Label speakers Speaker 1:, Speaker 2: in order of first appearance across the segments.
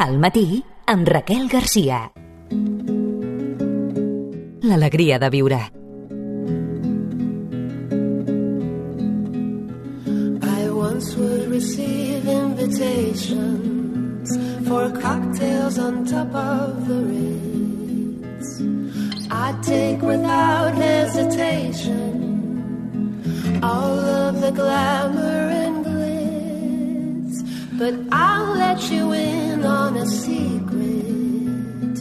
Speaker 1: Al matí, amb Raquel Garcia. L'alegria de viure.
Speaker 2: I once would receive invitations for cocktails on top of the Ritz. I'd take without hesitation all of the glamour and glitz, but I'll let you in on a secret.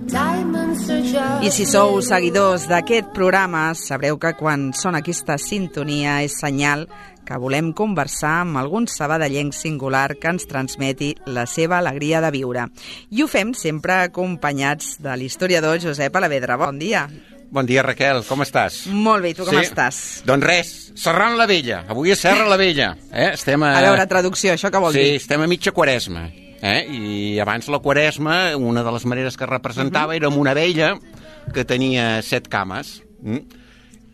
Speaker 2: Diamonds are just...
Speaker 3: I si sou seguidors d'aquest programa, sabreu que quan sona aquesta sintonia és senyal que volem conversar amb algun sabadellenc singular que ens transmeti la seva alegria de viure. I ho fem sempre acompanyats de l'historiador Josep Alavedra. Bon dia.
Speaker 4: Bon dia, Raquel, com estàs?
Speaker 3: Molt bé, i tu com estàs?
Speaker 4: Doncs res, Serrant la Vella. Avui és Serra la Vella. Estem
Speaker 3: a veure, traducció, això què vol dir?
Speaker 4: Sí, estem a mitja Quaresma. I abans la Quaresma, una de les maneres que representava era amb una vella que tenia 7 cames.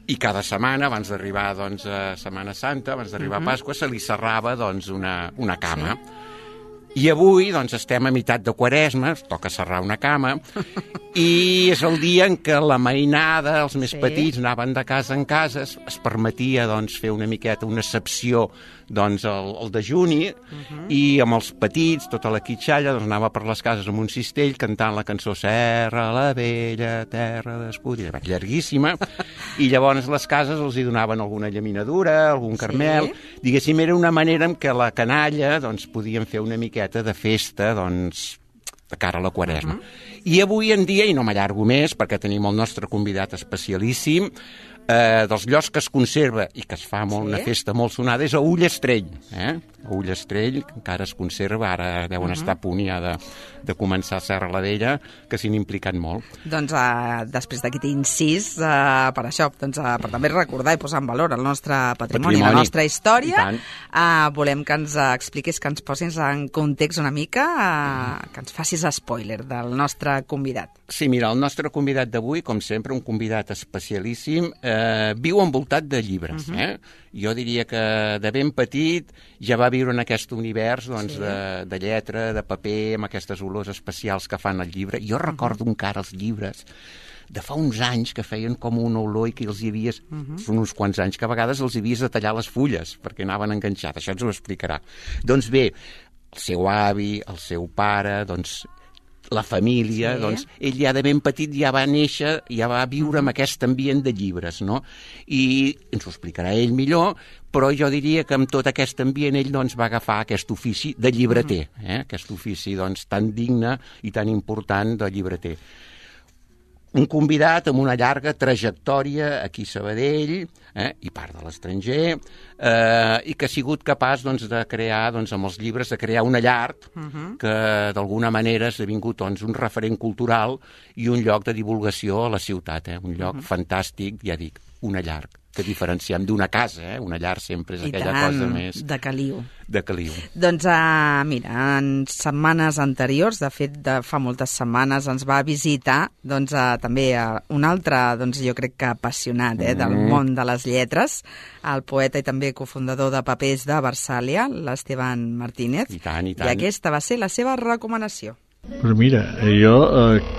Speaker 4: I cada setmana, abans d'arribar doncs, a Setmana Santa, abans d'arribar a Pasqua, se li serrava doncs, una cama. Sí. I avui doncs, estem a meitat de Quaresma, toca serrar una cama, i és el dia en què la mainada, els més petits, anaven de casa en casa, es permetia doncs, fer una miqueta, una excepció doncs, el dejuni, i amb els petits, tota la quitxalla, doncs, anava per les cases amb un cistell cantant la cançó Serra la Vella, terra d'escull, llarguíssima, i llavors les cases els hi donaven alguna llaminadura, algun carmel, diguéssim, era una manera en què la canalla doncs, podien fer una miqueta de festa doncs, de cara a la Quaresma. I avui en dia, i no m'allargo més, perquè tenim el nostre convidat especialíssim, dels llocs que es conserva i que es fa una festa molt sonada és a Ullastrell. A Ullastrell, que encara es conserva, ara deuen estar a punt ja de començar a Serra la Vella, que s'hi han implicat molt.
Speaker 3: Doncs després d'aquest incís, per això, doncs, per també recordar i posar en valor el nostre patrimoni, la nostra història, volem que ens expliquis, que ens posis en context una mica, que ens facis spoiler del nostre convidat.
Speaker 4: Sí, mira, el nostre convidat d'avui, com sempre, un convidat especialíssim, viu envoltat de llibres. Jo diria que de ben petit ja va viure en aquest univers doncs, de lletra, de paper, amb aquestes olors especials que fan el llibre. Jo recordo encara els llibres de fa uns anys que feien com una olor i que els hi havies, són uns quants anys, que a vegades els hi havies de tallar les fulles perquè anaven enganxats. Això ens ho explicarà. Doncs bé, el seu avi, el seu pare, doncs la família, doncs, ell ja de ben petit ja va néixer, ja va viure amb aquest ambient de llibres, no? I ens ho explicarà ell millor, però jo diria que amb tot aquest ambient ell doncs, va agafar aquest ofici de llibreter, aquest ofici doncs, tan digne i tan important de llibreter. Un convidat amb una llarga trajectòria aquí a Sabadell, i part de l'estranger, i que ha sigut capaç doncs, de crear, doncs, amb els llibres, de crear una llar que d'alguna manera ha esdevingut doncs, un referent cultural i un lloc de divulgació a la ciutat, un lloc fantàstic, ja dic, una llar que diferenciem d'una casa, una llar sempre és aquella cosa més...
Speaker 3: de caliu.
Speaker 4: De caliu.
Speaker 3: Doncs mira, en setmanes anteriors, de fet de fa moltes setmanes, ens va visitar doncs, també un altre, doncs, jo crec que apassionat del món de les lletres, el poeta i també cofundador de Papers de Versàlia, l'Esteban Martínez.
Speaker 4: I tant, i tant.
Speaker 3: I aquesta va ser la seva recomanació.
Speaker 5: Però mira, jo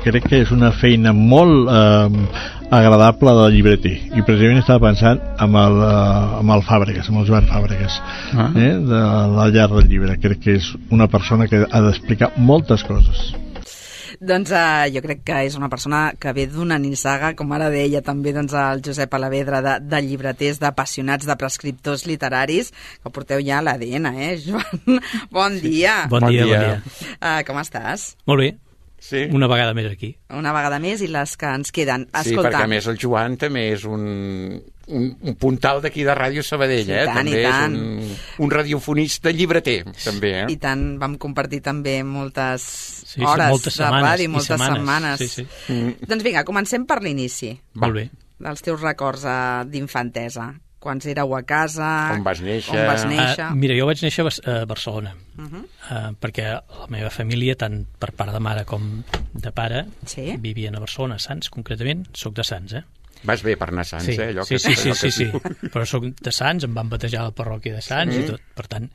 Speaker 5: crec que és una feina molt agradable del llibreter, i precisament estava pensant amb el Fàbregas, amb el Joan Fàbregas, de la llar del llibre. Crec que és una persona que ha d'explicar moltes coses.
Speaker 3: Doncs jo crec que és una persona que ve d'una nissaga, com ara deia també doncs, el Josep Alavedra, de llibreters, d'apassionats, de prescriptors literaris, que porteu ja l'ADN, Joan? Bon dia.
Speaker 6: Bon dia.
Speaker 3: Com estàs?
Speaker 6: Molt bé.
Speaker 4: Sí.
Speaker 6: Una vegada més aquí.
Speaker 3: Una vegada més i les que ens queden.
Speaker 4: Escolta. Sí, perquè a més el Joan també és un puntal d'aquí de Ràdio Sabadell,
Speaker 3: sí, tant,
Speaker 4: també
Speaker 3: tant.
Speaker 4: És un radiofonista llibreter, també.
Speaker 3: I tant, vam compartir també moltes hores de ràdio, moltes setmanes.
Speaker 6: Sí.
Speaker 3: Doncs vinga, comencem per l'inici.
Speaker 6: Molt bé.
Speaker 3: Dels teus records d'infantesa. Quan éreu a casa...
Speaker 4: On vas néixer?
Speaker 6: Mira, jo vaig néixer a Barcelona, perquè la meva família, tant per part de mare com de pare, vivien a Barcelona, a Sants, concretament. Soc de Sants,
Speaker 4: Vas bé per anar a Sants,
Speaker 6: sí.
Speaker 4: Allò
Speaker 6: sí, però soc de Sants, em van batejar a la parròquia de Sants i tot, per tant...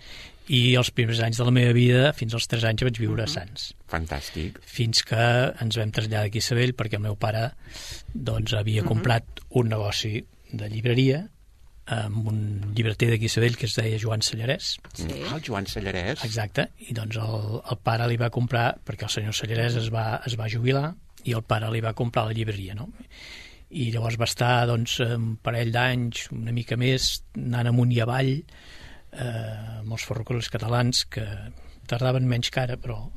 Speaker 6: I els primers anys de la meva vida, fins als 3 anys, vaig viure a Sants.
Speaker 4: Fantàstic.
Speaker 6: Fins que ens vam traslladar aquí a Sabell, perquè el meu pare doncs, havia comprat un negoci de llibreria amb un llibreter d'aquí a Sabell que es deia Joan Sallarès.
Speaker 3: Sí.
Speaker 4: El Joan Sallarès.
Speaker 6: Exacte, i doncs el pare li va comprar, perquè el senyor Sallarès es va jubilar, i el pare li va comprar la llibreria, no? I llavors va estar doncs, un parell d'anys, una mica més, anant amunt i avall, amb els ferrocarrils catalans, que tardaven menys que ara, però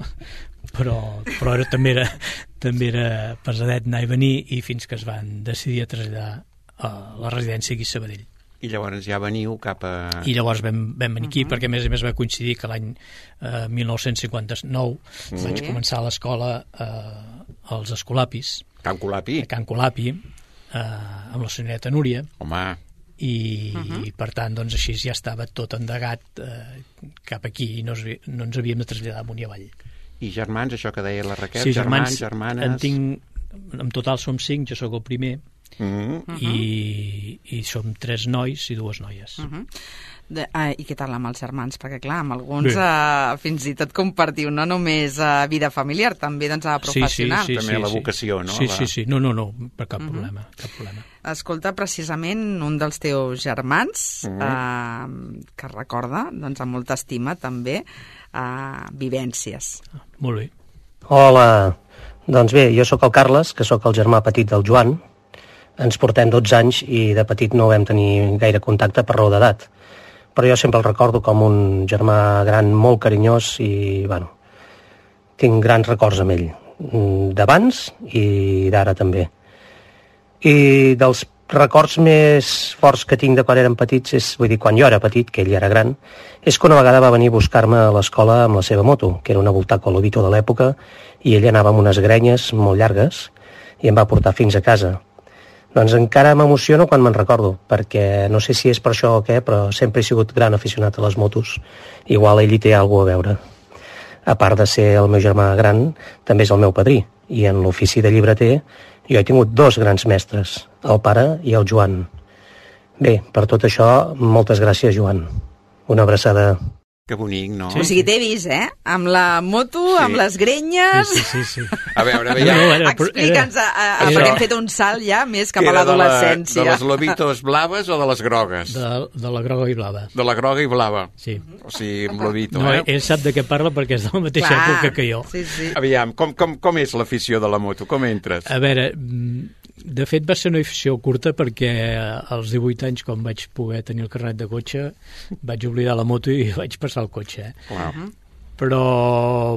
Speaker 6: també era pesadet anar i venir, i fins que es van decidir a traslladar a la residència aquí a Sabadell.
Speaker 4: I llavors ja veniu cap a...
Speaker 6: I llavors vam venir aquí, perquè a més va coincidir que l'any 1959 vaig començar a l'escola als Escolapis.
Speaker 4: Can Colapi?
Speaker 6: A Can Colapi, amb la senyoreta Núria.
Speaker 4: Home...
Speaker 6: I per tant, doncs així ja estava tot endegat cap aquí i no ens havíem de traslladar amunt i avall.
Speaker 4: I germans, això que deia la Raquel?
Speaker 6: Sí,
Speaker 4: germans, germanes...
Speaker 6: En total som 5, jo sóc el primer, i som 3 nois i 2 noies.
Speaker 3: I què tal amb els germans? Perquè clar, amb alguns fins i tot compartiu no només vida familiar, també doncs professional.
Speaker 4: Sí, també la vocació, no?
Speaker 6: Sí, no, per cap problema.
Speaker 3: Escolta, precisament un dels teus germans que recorda doncs, amb molta estima també vivències.
Speaker 6: Molt bé.
Speaker 7: Hola, doncs bé, jo sóc el Carles, que sóc el germà petit del Joan. Ens portem 12 anys i de petit no vam tenir gaire contacte per raó d'edat. Però jo sempre el recordo com un germà gran molt carinyós i, bueno, tinc grans records amb ell, d'abans i d'ara també. I dels records més forts que tinc de quan érem petits, quan jo era petit, que ell era gran, és que una vegada va venir a buscar-me a l'escola amb la seva moto, que era una Voltaco Lobito de l'època, i ell anava amb unes grenyes molt llargues i em va portar fins a casa. Doncs encara m'emociono quan me'n recordo, perquè no sé si és per això o què, però sempre he sigut gran aficionat a les motos. Igual ell hi té alguna a veure. A part de ser el meu germà gran, també és el meu padrí. I en l'ofici de llibreter jo he tingut 2 grans mestres, el pare i el Joan. Bé, per tot això, moltes gràcies, Joan. Una abraçada.
Speaker 4: Que bonic, no?
Speaker 3: Sí, o sigui, t'he vist, amb la moto, amb les grenyes...
Speaker 6: Sí.
Speaker 4: A veure,
Speaker 3: explica'ns, perquè hem fet un salt ja més cap a l'adolescència.
Speaker 4: De les lobitos blaves o de les grogues?
Speaker 6: De la groga i blava.
Speaker 4: De la groga i blava.
Speaker 6: Sí.
Speaker 4: O sigui, amb lobito,
Speaker 6: no, ell sap de què parla perquè és de la mateixa època que jo.
Speaker 3: Sí.
Speaker 4: Aviam, com és l'afició de la moto? Com entres?
Speaker 6: A veure... De fet, va ser una afició curta perquè als 18 anys, quan vaig poder tenir el carnet de cotxe, vaig oblidar la moto i vaig passar el cotxe.
Speaker 4: Wow.
Speaker 6: Però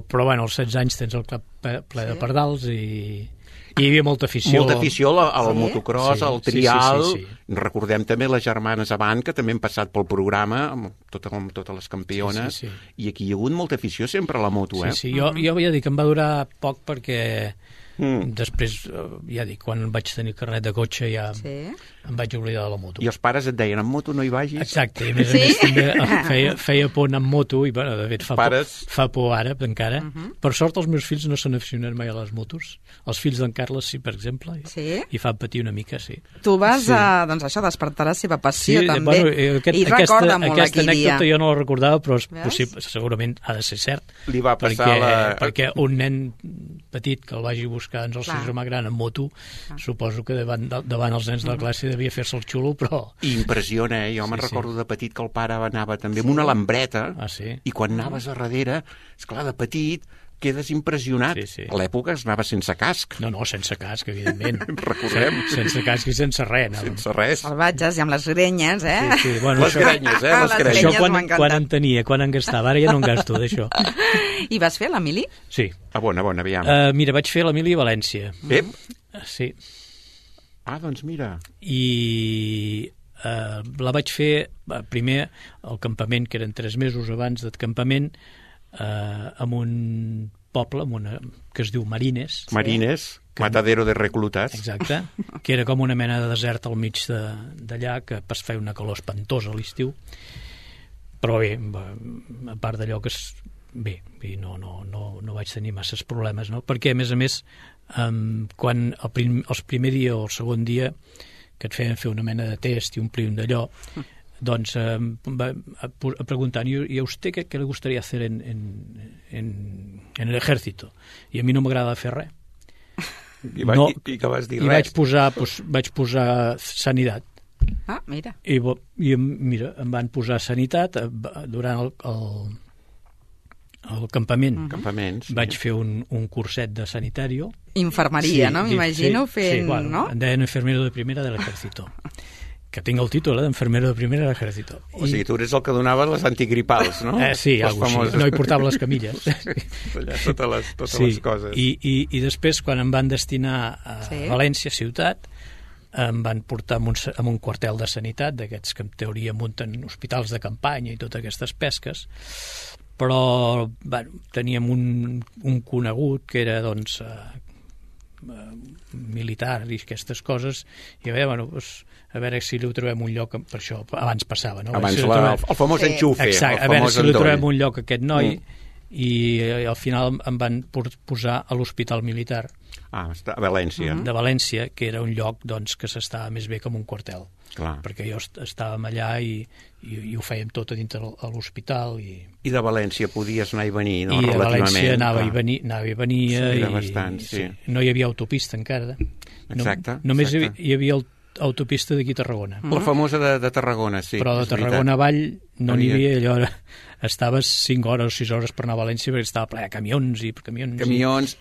Speaker 6: bueno, als 16 anys tens el cap ple de pardals i hi havia molta afició.
Speaker 4: Molta afició al motocross, al trial.
Speaker 6: Sí.
Speaker 4: Recordem també les germanes Avant, que també han passat pel programa, amb totes les campiones, i aquí hi ha hagut molta afició sempre a la moto,
Speaker 6: Sí, jo ja dic que em va durar poc perquè... Després, ja dic, quan vaig tenir carnet de cotxe ja em vaig oblidar de la moto.
Speaker 4: I els pares et deien, amb moto no hi vagis?
Speaker 6: Exacte, i a més també feia por anar amb moto i, bueno, de fet, fa por ara encara. Per sort, els meus fills no s'han aficionat mai a les motos. Els fills d'en Carles, sí, per exemple, i fan patir una mica, sí.
Speaker 3: Tu vas, doncs això, despertar la seva passió, també.
Speaker 6: Bueno,
Speaker 3: i recorda molt
Speaker 6: aquesta
Speaker 3: aquell dia.
Speaker 6: Aquesta anècdota jo no la recordava, però és possible, segurament ha de ser cert.
Speaker 4: Li va passar
Speaker 6: perquè un nen petit que el vagi buscar el seu germà gran en moto, suposo que davant els nens de la classe devia fer-se el xulo, però...
Speaker 4: Impressiona, jo me'n recordo de petit que el pare anava també amb una lambreta, i quan anaves a darrere, esclar, de petit, quedes impressionat. A l'època es anava sense casc.
Speaker 6: No, sense casc, evidentment.
Speaker 4: Recordem.
Speaker 6: Sense casc i sense res.
Speaker 4: Sense res.
Speaker 3: Salvatges i amb les grenyes,
Speaker 4: Bueno, les grenyes, les grenyes.
Speaker 6: Això quan en tenia, quan en gastava. Ara ja no en gasto, d'això.
Speaker 3: I vas fer l'Emili?
Speaker 6: Sí.
Speaker 4: Bona, aviam.
Speaker 6: Mira, vaig fer l'Emili a València. Sí.
Speaker 4: Doncs mira.
Speaker 6: I la vaig fer, primer, al campament, que eren 3 mesos abans del campament, amb un poble que es diu Marines.
Speaker 4: Matadero de reclutats.
Speaker 6: Exacte, que era com una mena de desert al mig d'allà, que es feia una calor espantosa a l'estiu. Però bé, a part d'allò que no vaig tenir masses problemes, no? Perquè, a més, quan el primer dia o el segon dia que et feien fer una mena de test i omplir un d'allò, doncs preguntant, ¿y a usted qué le gustaría hacer en el ejército? I a mi no m'agrada fer res.
Speaker 4: I que vas dir res?
Speaker 6: Vaig posar sanitat.
Speaker 3: Ah, mira.
Speaker 6: I mira, em van posar sanitat durant el campament.
Speaker 4: Campaments.
Speaker 6: Vaig fer un curset de sanitario.
Speaker 3: Infermeria, no? M'imagino fent,
Speaker 6: sí, bueno,
Speaker 3: no?
Speaker 6: Em deien enfermero de primera del ejército. Que tinc el títol d'enfermero de primera de l'ejército.
Speaker 4: O sigui, tu eres el que donava les antigripals, no?
Speaker 6: Sí, algo així. No, hi portava les camilles.
Speaker 4: Allà totes les coses.
Speaker 6: I després, quan em van destinar a València, ciutat, em van portar a un quartel de sanitat, d'aquests que en teoria munten hospitals de campanya i totes aquestes pesques, però teníem un conegut que era, doncs, militar i aquestes coses, i a veure si li trobem un lloc, per això abans passava, no?
Speaker 4: Abans el famós enxufe.
Speaker 6: Exacte, a veure si li trobem un lloc a aquest noi, i al final em van posar a l'hospital militar
Speaker 4: a València.
Speaker 6: De València, que era un lloc, doncs, que s'estava més bé com un quartel. Clar. Perquè jo estàvem allà i ho fèiem tot a dintre de l'hospital.
Speaker 4: I de València podies anar i venir, no?
Speaker 6: I
Speaker 4: relativament.
Speaker 6: De València anava i venia.
Speaker 4: Sí, era bastant, sí.
Speaker 6: No hi havia autopista encara.
Speaker 4: Exacte.
Speaker 6: Només hi havia autopista d'aquí a Tarragona.
Speaker 4: La famosa de Tarragona, sí.
Speaker 6: Però de Tarragona avall no n'hi havia, allò estaves 5 hores o 6 hores per anar a València perquè estava ple de camions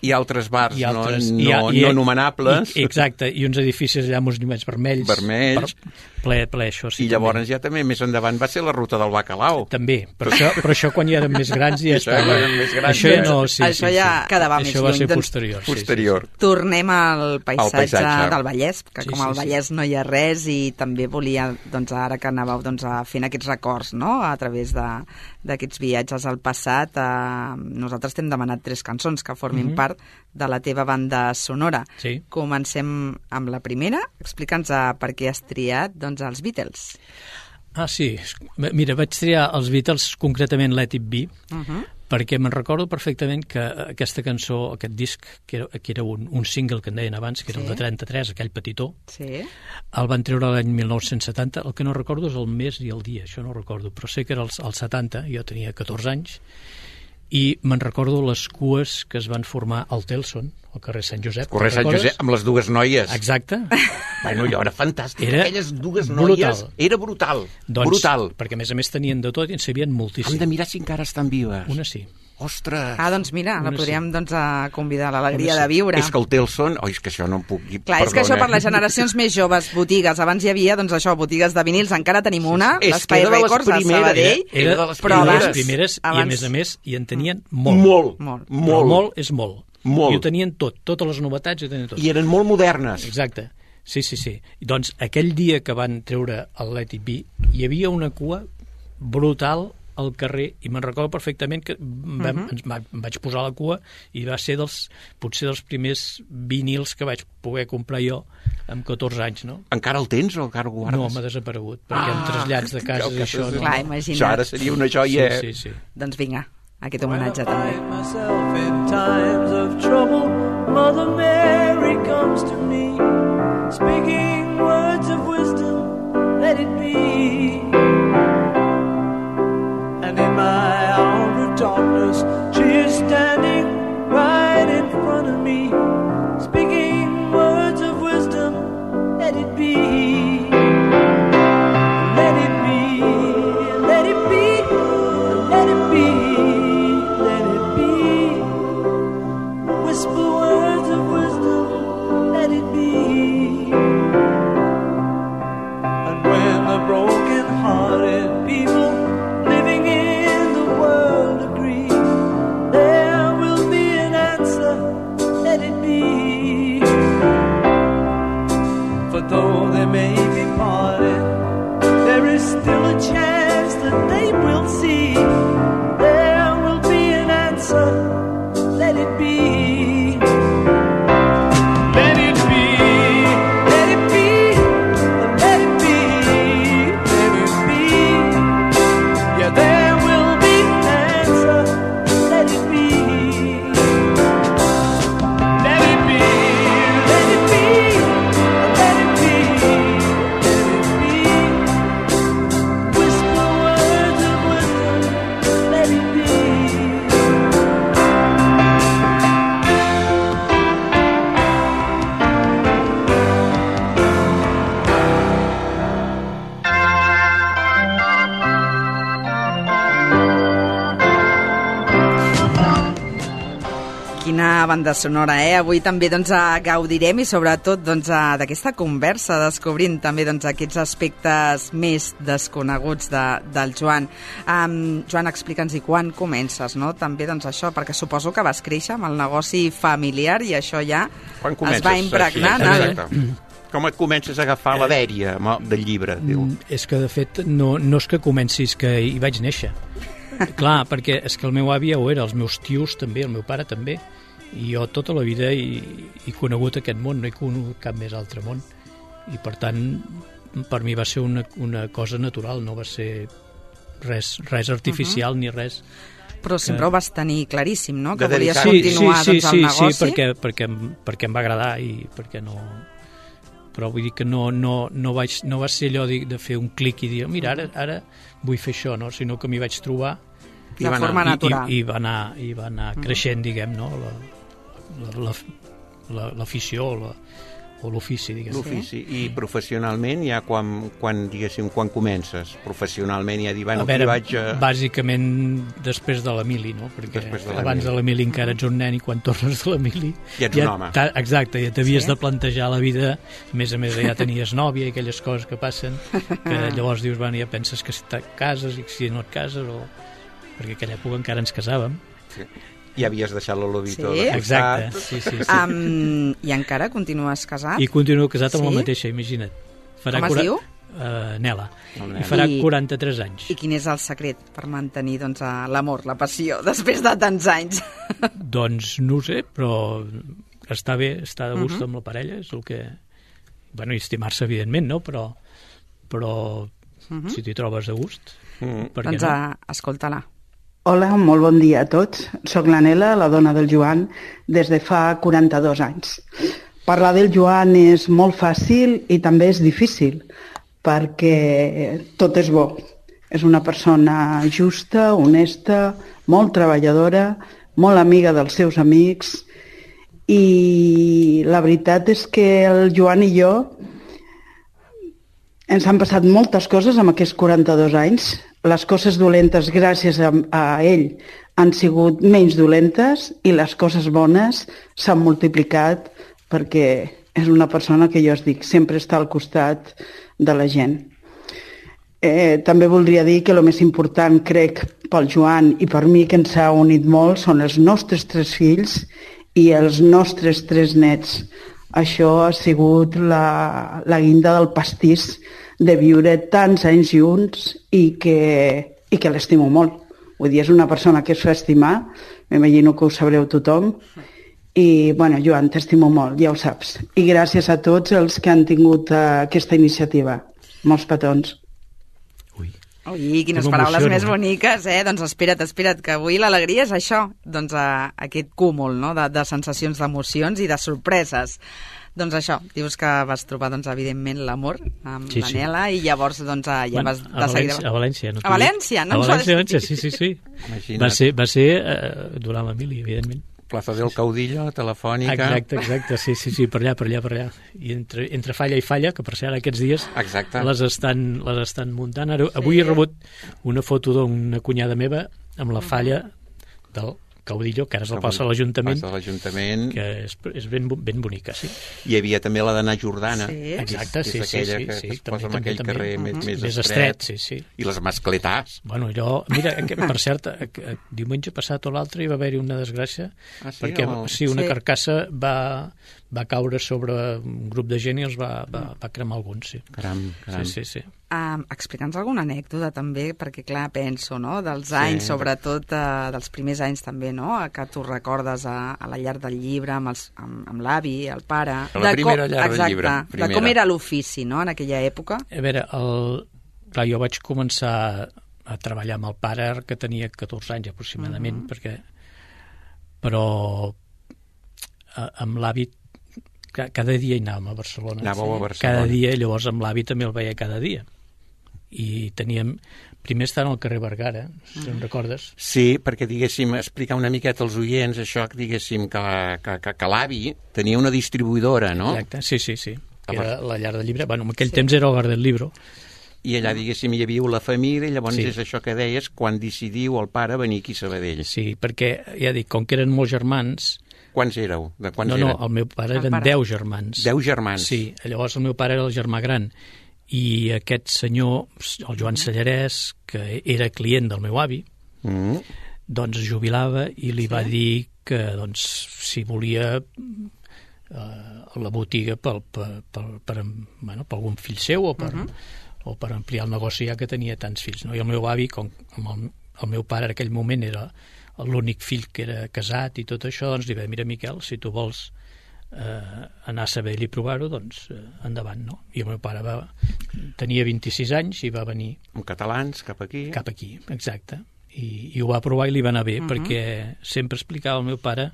Speaker 4: i altres bars no nomenables.
Speaker 6: Exacte, i uns edificis allà amb uns llumets vermells. Ple, això sí.
Speaker 4: I llavors ja també més endavant va ser la ruta del bacalao.
Speaker 6: També, però això quan ja érem més grans ja estava. Això ja no,
Speaker 3: això ja quedava més lluny.
Speaker 6: Això va ser posterior.
Speaker 3: Tornem al paisatge del Vallès, que com al Vallès no hi ha res, i també volia, doncs ara que anàveu fent aquests records, no?, a través d'aquests viatges al passat, nosaltres t'hem demanat 3 cançons que formin part de la teva banda sonora.
Speaker 6: Sí.
Speaker 3: Comencem amb la primera. Explica'ns per què has triat, doncs, els Beatles.
Speaker 6: Ah, sí. Mira, vaig triar els Beatles, concretament Let It Be, perquè me'n recordo perfectament que aquesta cançó, aquest disc, que era un single que en deien abans, que era el de 33, aquell petitó, el van treure l'any 1970. El que no recordo és el mes i el dia, això no ho recordo, però sé que era el 70, jo tenia 14 anys, i me'n recordo les cues que es van formar al Telson, al carrer Sant Josep.
Speaker 4: Carrer Sant Josep, amb les dues noies.
Speaker 6: Exacte.
Speaker 4: Bueno, allò era fantàstic. Aquelles dues noies... Era brutal. Brutal.
Speaker 6: Perquè, a més teien de tot i en sabien moltíssim.
Speaker 4: Hem de mirar si encara estan vives.
Speaker 6: Una sí.
Speaker 4: Ostres!
Speaker 3: Doncs mira, la podríem convidar a l'Alegria de Viure.
Speaker 4: És que el Telson... Oh, és que això no em puc dir.
Speaker 3: Clar, és que això per les generacions més joves, botigues, abans hi havia, doncs això, botigues de vinils, encara tenim una, l'Espai Records a Sabadell.
Speaker 6: Era de les primeres, i a més, hi en tenien molt. Molt és molt. I ho tenien tot, totes les novetats ho tenien tot.
Speaker 4: I eren molt modernes.
Speaker 6: Exacte. Sí. Doncs aquell dia que van treure el Let It Be, hi havia una cua brutal al carrer, i me'n recordo perfectament que em vaig posar a la cua i va ser potser dels primers vinils que vaig poder comprar jo amb 14 anys, no?
Speaker 4: Encara el tens o encara ho guardes?
Speaker 6: No, m'ha desaparegut, perquè amb trasllats de cases això no...
Speaker 3: Clar, imagina't.
Speaker 4: Això ara seria una joia.
Speaker 6: Sí.
Speaker 3: Doncs vinga, aquest homenatge també.
Speaker 8: Myself in times of trouble, Mother Mary comes to me, speaking words of wisdom, let it be. And in my hour of darkness, she is standing right in front of me, speaking words of wisdom, let it be. Let it be, let it be, let it be, let it be. Whisper words of wisdom, let it be. And when the broken-hearted people living in the world agree
Speaker 3: Quina banda sonora, Avui també doncs, gaudirem i sobretot doncs, d'aquesta conversa, descobrint també doncs, aquests aspectes més desconeguts del Joan. Joan, explica'ns quan comences, no? També doncs, això, perquè suposo que vas créixer amb el negoci familiar i això ja es va impregnar.
Speaker 4: Com et comences a agafar la dèria del llibre?
Speaker 6: És que, de fet, no és que comencis, que hi vaig néixer. Clar, perquè és que el meu avi ja ho era, els meus tios també, el meu pare també, i jo tota la vida he conegut aquest món, no he conegut cap més altre món, i per tant per mi va ser una cosa natural, no va ser res artificial ni res.
Speaker 3: Però sempre ho vas tenir claríssim, no? Que volies continuar doncs, el negoci?
Speaker 6: Sí, perquè em va agradar i perquè no... Però vull dir que no va ser allò de fer un clic i dir, mira, ara vull fer això, no? Sinó que m'hi vaig trobar
Speaker 3: de forma natural.
Speaker 6: I va anar creixent, diguem, no? L'afició o l'ofici, diguem.
Speaker 4: L'ofici. I professionalment, ja quan comences? Professionalment ja dir, bueno, aquí vaig...
Speaker 6: Bàsicament després de la mili, no? Perquè abans de la mili encara ets un nen i quan tornes de la mili...
Speaker 4: Ja ets un home.
Speaker 6: Exacte, ja t'havies de plantejar la vida, a més ja tenies nòvia i aquelles coses que passen, que llavors dius, bueno, ja penses que si et cases i si no et cases, perquè aquella època encara ens casàvem.
Speaker 4: Sí. I havies deixat l'Olobito.
Speaker 6: Sí, exacte. Sí.
Speaker 3: I encara continues casat?
Speaker 6: I continuo casat amb la mateixa, imagina't.
Speaker 3: Com es diu?
Speaker 6: Nela. I farà 43 anys.
Speaker 3: I quin és el secret per mantenir doncs, l'amor, la passió, després de tants anys?
Speaker 6: Doncs no ho sé, però està bé, està de gust amb la parella, és el que... Bueno, i estimar-se, evidentment, no? Però si t'hi trobes de gust, per què no?
Speaker 3: Doncs escolta-la.
Speaker 9: Hola, molt bon dia a tots. Soc la Nela, la dona del Joan, des de fa 42 anys. Parlar del Joan és molt fàcil i també és difícil, perquè tot és bo. És una persona justa, honesta, molt treballadora, molt amiga dels seus amics, i la veritat és que el Joan i jo ens han passat moltes coses amb aquests 42 anys. Les coses dolentes, gràcies a ell, han sigut menys dolentes i les coses bones s'han multiplicat perquè és una persona que jo us dic, sempre està al costat de la gent. També voldria dir que el més important, crec, pel Joan i per mi, que ens ha unit molt, són els nostres 3 fills i els nostres 3 nets. Això ha sigut la guinda del pastís de viure tants anys junts i que l'estimo molt. Vull dir, és una persona que es fa estimar, m'imagino que ho sabreu tothom, i, bueno, Joan, t'estimo molt, ja ho saps. I gràcies a tots els que han tingut aquesta iniciativa. Molts petons.
Speaker 3: Ui, quines paraules més boniques, Doncs espera't, que avui l'alegria és això, doncs aquest cúmul, no?, de sensacions, d'emocions i de sorpreses. Doncs això, dius que vas trobar, doncs, evidentment, l'amor amb la Nela i llavors, doncs, ja vas de seguida...
Speaker 6: A València.
Speaker 3: A València, no?
Speaker 6: A València, sí. Va ser durant la mili, evidentment.
Speaker 4: Plaza del Caudillo, telefònica...
Speaker 6: Exacte, sí, per allà. I entre falla i falla, que per cert aquests dies les estan muntant. Avui he rebut una foto d'una cunyada meva amb la falla del Caudillo, que ara és la plaça de l'Ajuntament, que és ben bonica, sí.
Speaker 4: Hi havia també la d'Anna Jordana,
Speaker 6: exacte,
Speaker 4: que és aquella que es posa en aquell carrer més
Speaker 6: estret, sí.
Speaker 4: I les mascletars.
Speaker 6: Bueno, mira, per cert, diumenge passat o l'altre hi va haver-hi una desgràcia, perquè una carcassa va caure sobre un grup de gent i els va cremar alguns, sí.
Speaker 4: Caram.
Speaker 6: Sí.
Speaker 3: Explica'ns alguna anècdota també, perquè clar, penso, no?, dels anys, sobretot dels primers anys també, no?, que tu recordes a la llar del llibre, amb l'avi, el pare...
Speaker 4: La primera llar del llibre.
Speaker 3: De com era l'ofici, no?, en aquella època.
Speaker 6: A veure, clar, jo vaig començar a treballar amb el pare que tenia 14 anys aproximadament, però amb l'avi cada dia hi anàvem a Barcelona.
Speaker 4: Anàveu a Barcelona.
Speaker 6: Cada dia, llavors amb l'avi també el veia cada dia. I teníem... Primer estàvem al carrer Vergara, si em recordes.
Speaker 4: Sí, perquè, diguéssim, explicar una miqueta als oients això, diguéssim, que l'avi tenia una distribuïdora, no?
Speaker 6: Exacte, sí. Era la llar del llibre. Bueno, en aquell temps era l'Hogar del Libro.
Speaker 4: I allà, diguéssim, hi havia la família, i llavors és això que deies, quan decidiu el pare venir aquí a Sabadell.
Speaker 6: Sí, perquè, ja dic, com que eren molts germans,
Speaker 4: Quants éreu? De quants
Speaker 6: No,
Speaker 4: eren?
Speaker 6: el meu pare
Speaker 3: El
Speaker 6: eren
Speaker 3: pare.
Speaker 6: 10 germans.
Speaker 4: 10 germans.
Speaker 6: Sí, llavors el meu pare era el germà gran. I aquest senyor, el Joan Sallarès, que era client del meu avi, doncs es jubilava i li va dir que doncs, si volia la botiga per algun fill seu o per ampliar el negoci ja que tenia tants fills. No? I el meu avi, com el meu pare en aquell moment era l'únic fill que era casat i tot això, doncs li va dir, mira Miquel, si tu vols anar a Sabadell i provar-ho, doncs endavant, no? I el meu pare tenia 26 anys i va venir...
Speaker 4: Amb catalans, cap aquí.
Speaker 6: Cap aquí, exacte. I ho va provar i li va anar bé, perquè sempre explicava el meu pare,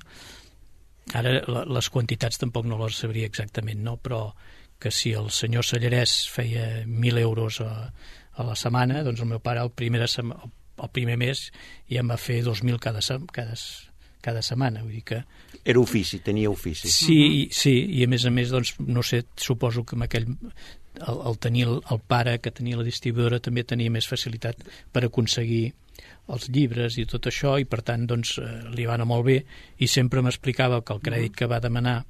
Speaker 6: ara les quantitats tampoc no les sabria exactament, no? Però que si el senyor Sallarès feia 1.000 euros a la setmana, doncs el meu pare el primer mes ja em va fer 2.000 cada setmana, vull dir que...
Speaker 4: Era ofici, tenia ofici.
Speaker 6: Sí, i a més, doncs, no sé, suposo que amb aquell... el tenir el pare que tenia la distribuïdora també tenia més facilitat per aconseguir els llibres i tot això, i per tant doncs, li va anar molt bé, i sempre m'explicava que el crèdit que va demanar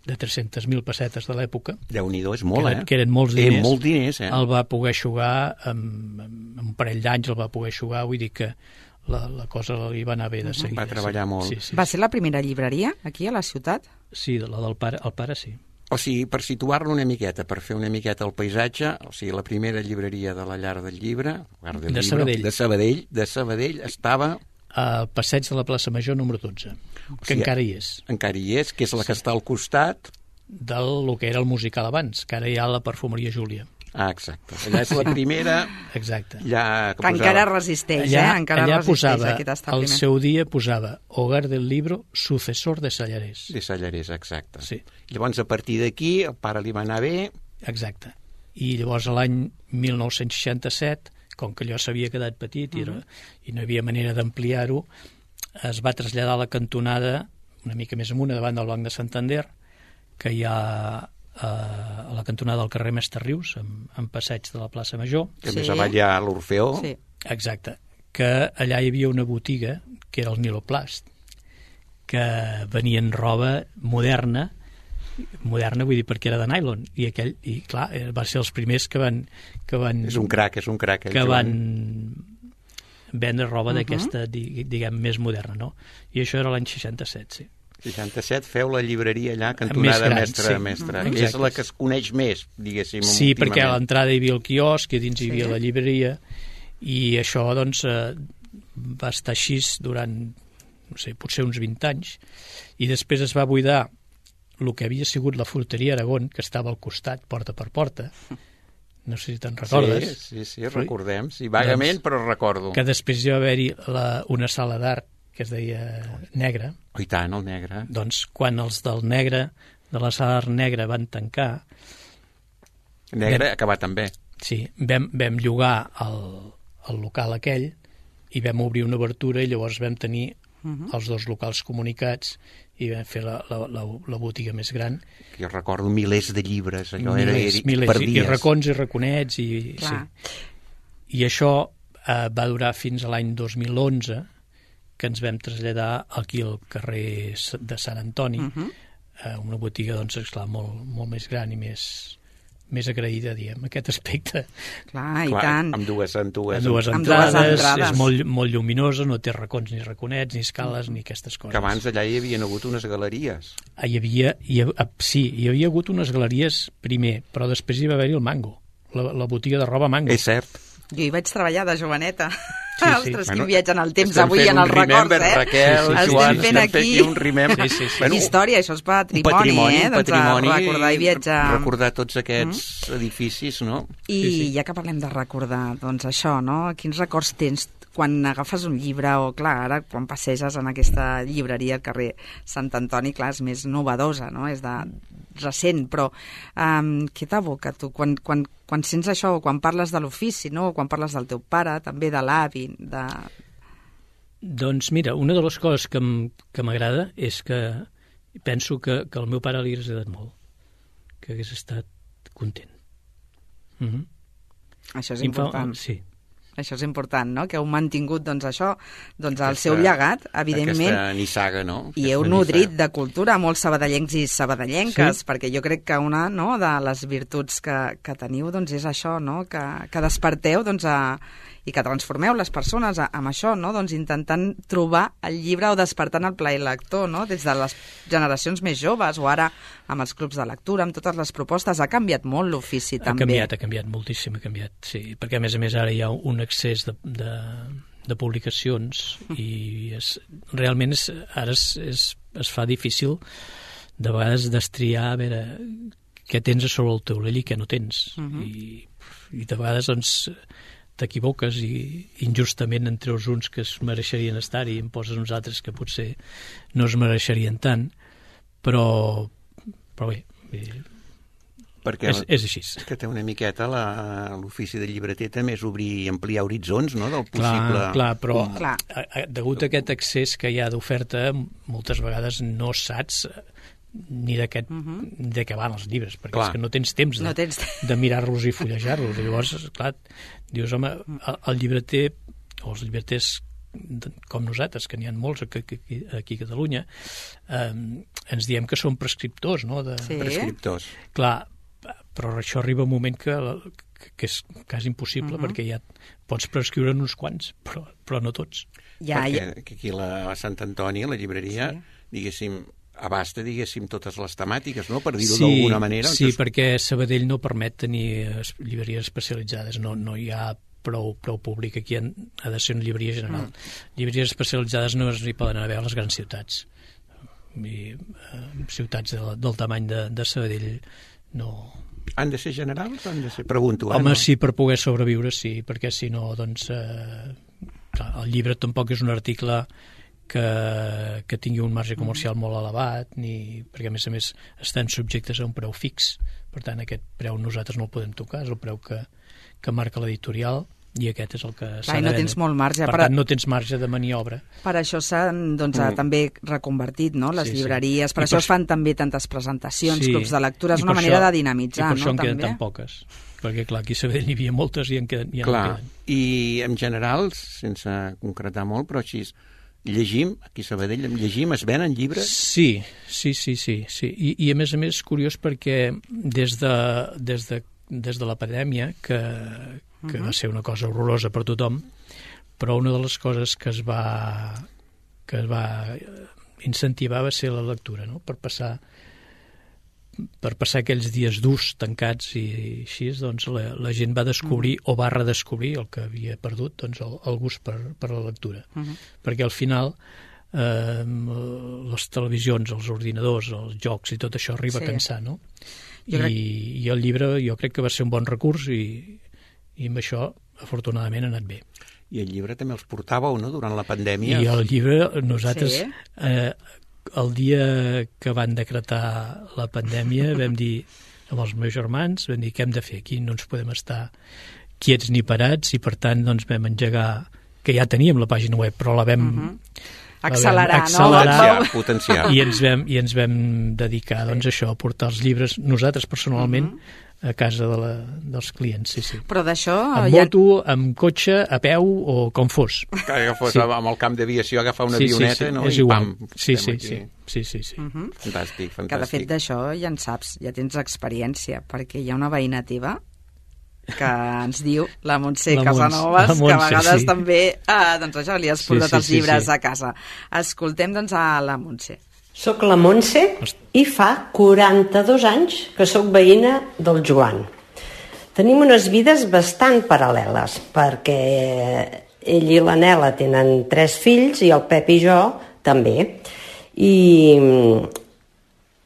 Speaker 6: de 300.000 pessetes de l'època,
Speaker 4: Déu-n'hi-do, és molt,
Speaker 6: que eren molts diners,
Speaker 4: molts diners,
Speaker 6: el va poder eixugar amb un parell d'anys, el va poder eixugar, vull dir que la cosa li va anar bé de seguida.
Speaker 4: Va treballar molt.
Speaker 6: Sí.
Speaker 3: Va ser la primera llibreria aquí a la ciutat?
Speaker 6: Sí, la del pare, el pare sí.
Speaker 4: O sigui, per situar-lo una miqueta, per fer una miqueta el paisatge, o sigui, la primera llibreria de la Llar del Llibre, de Sabadell, estava...
Speaker 6: Al passeig de la plaça Major número 12, que encara hi és.
Speaker 4: Encara hi és, que és la que està al costat...
Speaker 6: Del que era el musical abans, que ara hi ha la Perfumeria Júlia.
Speaker 4: Ah, exacte. Allà és la primera...
Speaker 6: Exacte.
Speaker 3: Que encara resisteix,
Speaker 6: allà posava, al seu dia posava Hogar del Libro, sucessor de Sallarès.
Speaker 4: De Sallarès, exacte.
Speaker 6: Sí.
Speaker 4: Llavors, a partir d'aquí, el pare li va anar bé...
Speaker 6: Exacte. I llavors, l'any 1967, com que allò s'havia quedat petit i no hi havia manera d'ampliar-ho, es va traslladar a la cantonada, una mica més amunt, davant del Banc de Santander, que hi ha a la cantonada del carrer Mestre Rius, en passeig de la plaça Major.
Speaker 4: Que més avall hi ha l'Orfeó.
Speaker 3: Sí.
Speaker 6: Exacte. Que allà hi havia una botiga, que era el Niloplast, que venien roba moderna, vull dir perquè era de nylon, i clar, va ser els primers que van
Speaker 4: és un crac.
Speaker 6: Que van vendre roba d'aquesta, diguem, més moderna, no? I això era l'any 67, sí.
Speaker 4: 67 feu la llibreria allà, cantonada Mestre.
Speaker 6: Exacte.
Speaker 4: És la que es coneix més, diguéssim,
Speaker 6: sí,
Speaker 4: últimament.
Speaker 6: perquè a l'entrada hi havia el quiosc i dins hi havia la llibreria, i això, doncs, va estar així durant, no sé, potser uns 20 anys, i després es va buidar el que havia sigut la fruteria Aragón, que estava al costat, porta per porta. No sé si te'n recordes.
Speaker 4: Sí, recordem. Sí, vagament, doncs, però recordo.
Speaker 6: Que després hi va haver-hi una sala d'art que es deia Negre.
Speaker 4: Oh, i tant, el Negre.
Speaker 6: Doncs quan els del Negre, de la sala d'art Negre, van tancar...
Speaker 4: Negre ha acabat també.
Speaker 6: Sí, vam llogar el local aquell i vam obrir una obertura i llavors vam tenir els dos locals comunicats i vam fer la botiga més gran.
Speaker 4: Jo recordo milers de llibres, allò
Speaker 6: milers,
Speaker 4: per dies.
Speaker 6: I racons i raconets. Sí. I això va durar fins a l'any 2011, que ens vam traslladar aquí al carrer de Sant Antoni, una botiga, doncs, esclar, molt més gran i més agraïda, diguem, aquest aspecte.
Speaker 3: Clar, i tant.
Speaker 4: Amb dues
Speaker 6: entrades, és molt lluminosa, no té racons ni raconets, ni escales, ni aquestes coses.
Speaker 4: Que abans allà hi havia hagut unes galeries.
Speaker 6: Hi havia hagut unes galeries primer, però després hi va haver-hi el Mango, la botiga de roba Mango.
Speaker 4: És cert.
Speaker 3: Jo hi vaig treballar de joveneta.
Speaker 6: Sí.
Speaker 3: Ostres, quin viatge en el temps avui en els records,
Speaker 4: Raquel, Joan,
Speaker 3: estem fent aquí
Speaker 4: un remember.
Speaker 3: Bueno, història, això és patrimoni,
Speaker 4: patrimoni,
Speaker 3: recordar i viatjar.
Speaker 4: Recordar tots aquests edificis, no?
Speaker 3: I ja que parlem de recordar, doncs això, no? Quins records tens quan agafes un llibre, o clar, ara quan passeges en aquesta llibreria al carrer Sant Antoni, clar, és més novedosa, no? És de recent, però què t'evoca tu quan sents això, o quan parles de l'ofici, no? O quan parles del teu pare, també de l'avi, de...
Speaker 6: Doncs mira, una de les coses que m'agrada és que penso que al meu pare li hagués agradat molt, que hagués estat content.
Speaker 3: Això és important.
Speaker 6: Sí.
Speaker 3: Això és important, no? Que heu mantingut, doncs, això, doncs, el seu llegat, evidentment.
Speaker 4: Aquesta nissaga, no?
Speaker 3: I heu nodrit de cultura molts sabadellencs i sabadellenques, perquè jo crec que una, no, de les virtuts que teniu, doncs, és això, no? Que desperteu, doncs, i que transformeu les persones amb això, no? Doncs intentant trobar el llibre o despertant el plaer lector, no? Des de les generacions més joves o ara amb els clubs de lectura, amb totes les propostes, ha canviat molt l'ofici també.
Speaker 6: Ha canviat moltíssim, sí, perquè a més ara hi ha un excés de publicacions i realment ara es fa difícil de vegades destriar a veure què tens a sobre el taulell i què no tens. I de vegades doncs t'equivoques i injustament en treus uns que es mereixerien estar-hi i en poses uns altres que potser no es mereixerien tant, però bé,
Speaker 4: perquè
Speaker 6: és així.
Speaker 4: És que té una miqueta l'ofici de llibreter també és obrir i ampliar horitzons, no?, del possible...
Speaker 6: Clar, però degut a aquest excés que hi ha d'oferta, moltes vegades no saps ni de què van els llibres, perquè és que no tens temps de mirar-los i fullejar-los. Llavors, clar, dius, home, el llibreter, o els llibreters com nosaltres, que n'hi ha molts aquí a Catalunya, ens diem que són prescriptors, no?
Speaker 4: Prescriptors.
Speaker 6: Clar, però això arriba un moment que és quasi impossible, perquè ja pots prescriure uns quants, però no tots.
Speaker 4: Perquè aquí a Sant Antoni, a la llibreria, diguéssim, abasta, diguéssim, totes les temàtiques, no?, per dir-ho d'alguna manera.
Speaker 6: Sí, perquè Sabadell no permet tenir llibreries especialitzades, no hi ha prou públic, aquí ha de ser una llibreria general. Llibreries especialitzades no hi poden haver a les grans ciutats. I ciutats del tamany de Sabadell no...
Speaker 4: Han de ser generals o han de ser... Pregunto.
Speaker 6: Home, sí, per poder sobreviure, sí, perquè si no, doncs... el llibre tampoc és un article que tingui un marge comercial molt elevat, perquè a més estan subjectes a un preu fix. Per tant, aquest preu nosaltres no el podem tocar, és el preu que marca l'editorial, i aquest és el que s'ha de...
Speaker 3: no tens molt marge.
Speaker 6: Per tant, no tens marge de maniobra.
Speaker 3: Per això s'han també reconvertit, no?, les llibreries, per això es fan també tantes presentacions, clubs de lectura, és una manera de dinamitzar, no?, també. I per això
Speaker 6: en queden tan poques, perquè clar, aquí a Sabadell n'hi havia moltes i ja no queden.
Speaker 4: I en general, sense concretar molt, però així, llegim, aquí a Sabadell, es venen llibres?
Speaker 6: Sí. I a més és curiós perquè des de la pandèmia, que va ser una cosa horrorosa per tothom, però una de les coses que es va incentivar va ser la lectura, no?, per passar aquells dies durs, tancats i així, doncs la gent va descobrir o va redescobrir el que havia perdut, doncs el gust per la lectura. Perquè al final les televisions, els ordinadors, els jocs i tot això arriba a cansar, no? I el llibre jo crec que va ser un bon recurs i amb això afortunadament ha anat bé.
Speaker 4: I el llibre també els portàveu, no?, durant la pandèmia?
Speaker 6: I el llibre, nosaltres, el dia que van decretar la pandèmia, vam dir amb els meus germans, vam dir què hem de fer aquí, no ens podem estar quiets ni parats, i per tant doncs vam engegar, que ja teníem la pàgina web, però la vam...
Speaker 3: accelerar,
Speaker 4: potenciar.
Speaker 6: I ens vam dedicar doncs, a això, a portar els llibres nosaltres personalment a casa dels clients, sí.
Speaker 3: Però d'això...
Speaker 6: Amb moto, amb cotxe, a peu o com fos.
Speaker 4: Que fos amb el camp d'aviació, agafar una avioneta, no?
Speaker 6: És igual. Sí.
Speaker 4: Fantàstic.
Speaker 3: Que de fet d'això ja en saps, ja tens experiència, perquè hi ha una veïna teva que ens diu, la Montse Casanovas, que a vegades també doncs això, li has portat els llibres a casa. Escoltem doncs a la Montse.
Speaker 10: Soc la Montse i fa 42 anys que sóc veïna del Joan. Tenim unes vides bastant paral·leles, perquè ell i la Nela tenen 3 fills i el Pep i jo també. I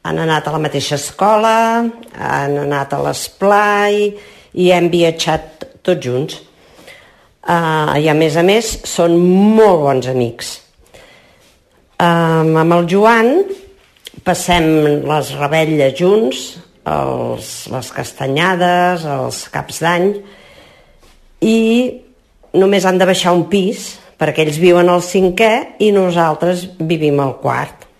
Speaker 10: han anat a la mateixa escola, han anat a l'esplai i hem viatjat tots junts. I a més són molt bons amics. Amb el Joan passem les revetlles junts, les castanyades, els caps d'any, i només han de baixar un pis, perquè ells viuen al 5è i nosaltres vivim al 4.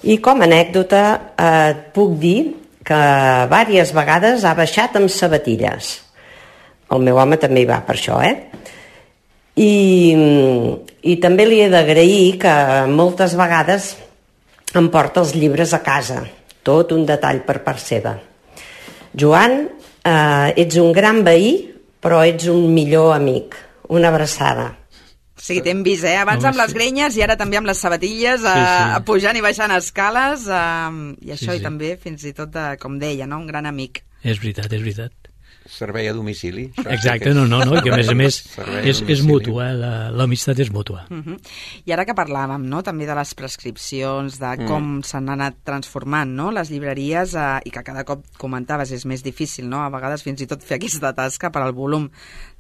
Speaker 10: I com a anècdota et puc dir que diverses vegades ha baixat amb sabatilles. El meu home també hi va per això, I també li he d'agrair que moltes vegades em porta els llibres a casa, tot un detall per part seva. Joan, ets un gran veí, però ets un millor amic. Una abraçada.
Speaker 3: Sí, t'hem vist, abans amb les grenyes i ara també amb les sabatilles, pujant i baixant escales, i això, i també fins i tot, com deia, no? Un gran amic.
Speaker 6: És veritat, és veritat.
Speaker 4: Servei a domicili.
Speaker 6: Exacte, no, i que a més és mútua, l'amistat és mútua.
Speaker 3: I ara que parlàvem, no?, també de les prescripcions, de com s'han anat transformant, no?, les llibreries, i que cada cop comentaves és més difícil, no?, a vegades fins i tot fer aquesta tasca per al volum